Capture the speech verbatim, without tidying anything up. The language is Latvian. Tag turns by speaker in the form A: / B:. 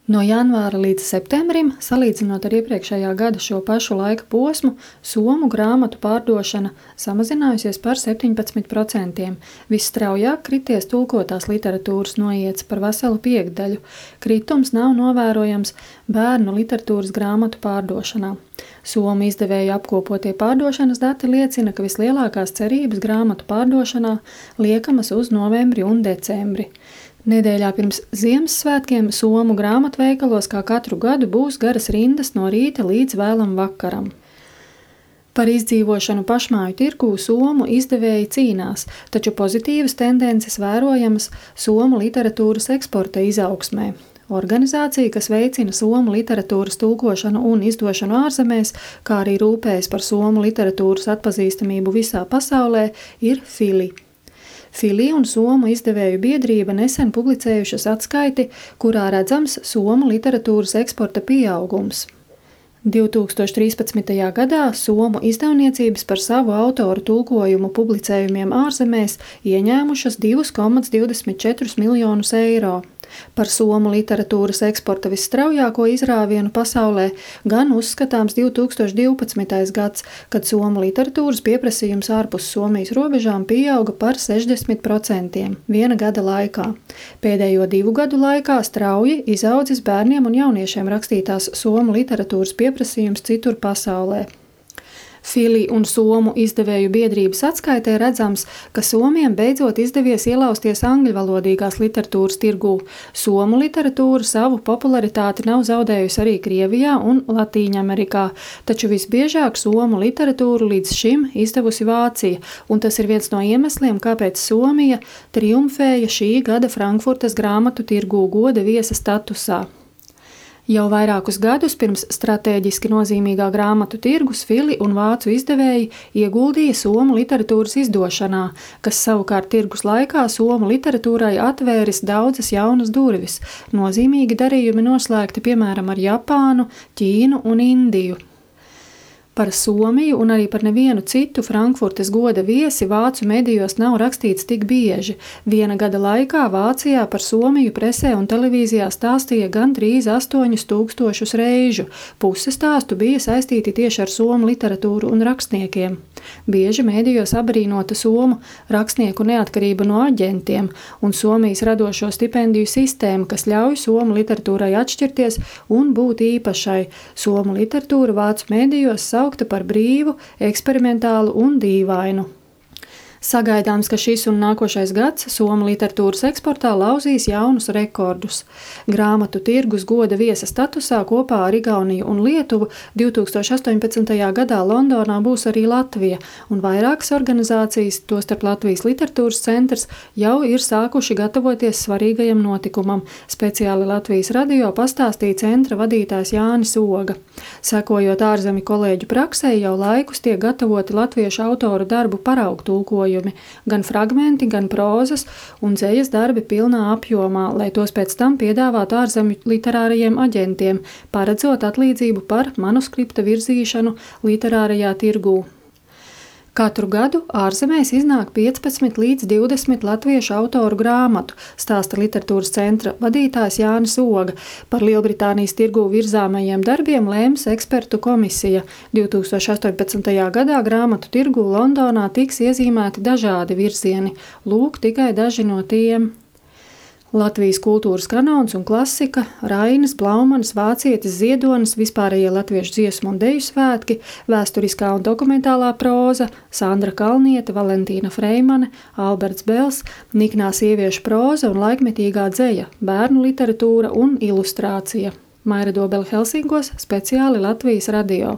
A: No janvāra līdz septembrim, salīdzinot ar iepriekšējā gada šo pašu laika posmu, somu grāmatu pārdošana samazinājusies par septiņpadsmit procentiem. Visstraujāk krities tulkotās literatūras noiets par veselu piekdaļu. Kritums nav novērojams bērnu literatūras grāmatu pārdošanā. Somu izdevēju apkopotie pārdošanas dati liecina, ka vislielākās cerības grāmatu pārdošanā liekamas uz novembri un decembri. Nedēļā pirms Ziemassvētkiem somu grāmatveikalos kā katru gadu būs garas rindas no rīta līdz vēlam vakaram. Par izdzīvošanu pašmāju tirgū somu izdevēji cīnās, taču pozitīvas tendences vērojamas somu literatūras eksporta izaugsmē. Organizācija, kas veicina somu literatūras tulkošanu un izdošanu ārzemēs, kā arī rūpējas par somu literatūras atpazīstamību visā pasaulē, ir Fili. Fili un Somu izdevēju biedrība nesen publicējušas atskaiti, kurā redzams somu literatūras eksporta pieaugums. divtūkstoš trīspadsmitajā gadā somu izdevniecības par savu autoru tulkojumu publicējumiem ārzemēs ieņēmušas divus komats divdesmit četrus miljonus eiro. Par somu literatūras eksporta visstraujāko izrāvienu pasaulē gan uzskatāms divtūkstoš divpadsmitais gads, kad somu literatūras pieprasījums ārpus Somijas robežām pieauga par sešdesmit procentiem viena gada laikā. Pēdējo divu gadu laikā strauji izaudzis bērniem un jauniešiem rakstītās somu literatūras pieprasījums citur pasaulē. Fili un Somu izdevēju biedrības atskaitē redzams, ka somiem beidzot izdevies ielausties angļvalodīgās literatūras tirgū. Somu literatūra savu popularitāti nav zaudējusi arī Krievijā un Latīņamerikā, taču visbiežāk somu literatūru līdz šim izdevusi Vācija, un tas ir viens no iemesliem, kāpēc Somija triumfēja šī gada Frankfurtas grāmatu tirgū goda viesa statusā. Jau vairākus gadus pirms stratēģiski nozīmīgā grāmatu tirgus Fili un vācu izdevēji ieguldīja somu literatūras izdošanā, kas savukārt tirgus laikā somu literatūrai atvēris daudzas jaunas durvis. Nozīmīgi darījumi noslēgti piemēram ar Japānu, Ķīnu un Indiju. Par Somiju un arī par nevienu citu Frankfurtes goda viesi vācu medijos nav rakstīts tik bieži. Viena gada laikā Vācijā par Somiju presē un televīzijā stāstīja gandrīz astoņus tūkstošus reižu. Puse stāstu bija saistīti tieši ar somu literatūru un rakstniekiem. Bieži medijos abrīnota somu rakstnieku neatkarība no aģentiem un Somijas radošo stipendiju sistēma, kas ļauj somu literatūrai atšķirties un būt īpašai. Somu literatūra vācu medijos saukta par brīvu, eksperimentālu un dīvainu. Sagaidāms, ka šis un nākošais gads somu literatūras eksportā lauzīs jaunus rekordus. Grāmatu tirgus goda viesa statusā kopā ar Igauniju un Lietuvu divtūkstoš astoņpadsmitajā gadā Londonā būs arī Latvija, un vairākas organizācijas, tostarp Latvijas literatūras centrs, jau ir sākuši gatavoties svarīgajam notikumam. Speciāli Latvijas radio pastāstīja centra vadītājs Jānis Oga. Sekojot ārzemju kolēģu praksē, jau laikus tiek gatavoti latviešu autoru darbu paraugu tulkojumi. Gan fragmenti, gan prózas un dzejas darbi pilnā apjomā, lai tos pēc tam piedāvātu ārzemju literārajiem aģentiem, paredzot atlīdzību par manuskripta virzīšanu literārajā tirgū. Katru gadu ārzemēs iznāk piecpadsmit līdz divdesmit latviešu autoru grāmatu, stāsta literatūras centra vadītājs Jānis Oga. Par Lielbritānijas tirgū virzāmajiem darbiem lēms ekspertu komisija. divtūkstoš astoņpadsmitajā gadā grāmatu tirgū Londonā tiks iezīmēti dažādi virzieni. Lūk, tikai daži no tiem. Latvijas kultūras kanons un klasika, Rainis, Blaumanis, Vācietis, Ziedonis, vispārējie latviešu dziesmu un deju svētki, vēsturiskā un dokumentālā próza, Sandra Kalniete, Valentīna Freimane, Alberts Bels, niknā sieviešu próza un laikmetīgā dzeja, bērnu literatūra un ilustrācija. Maira Dobele Helsinkos, speciāli Latvijas radio.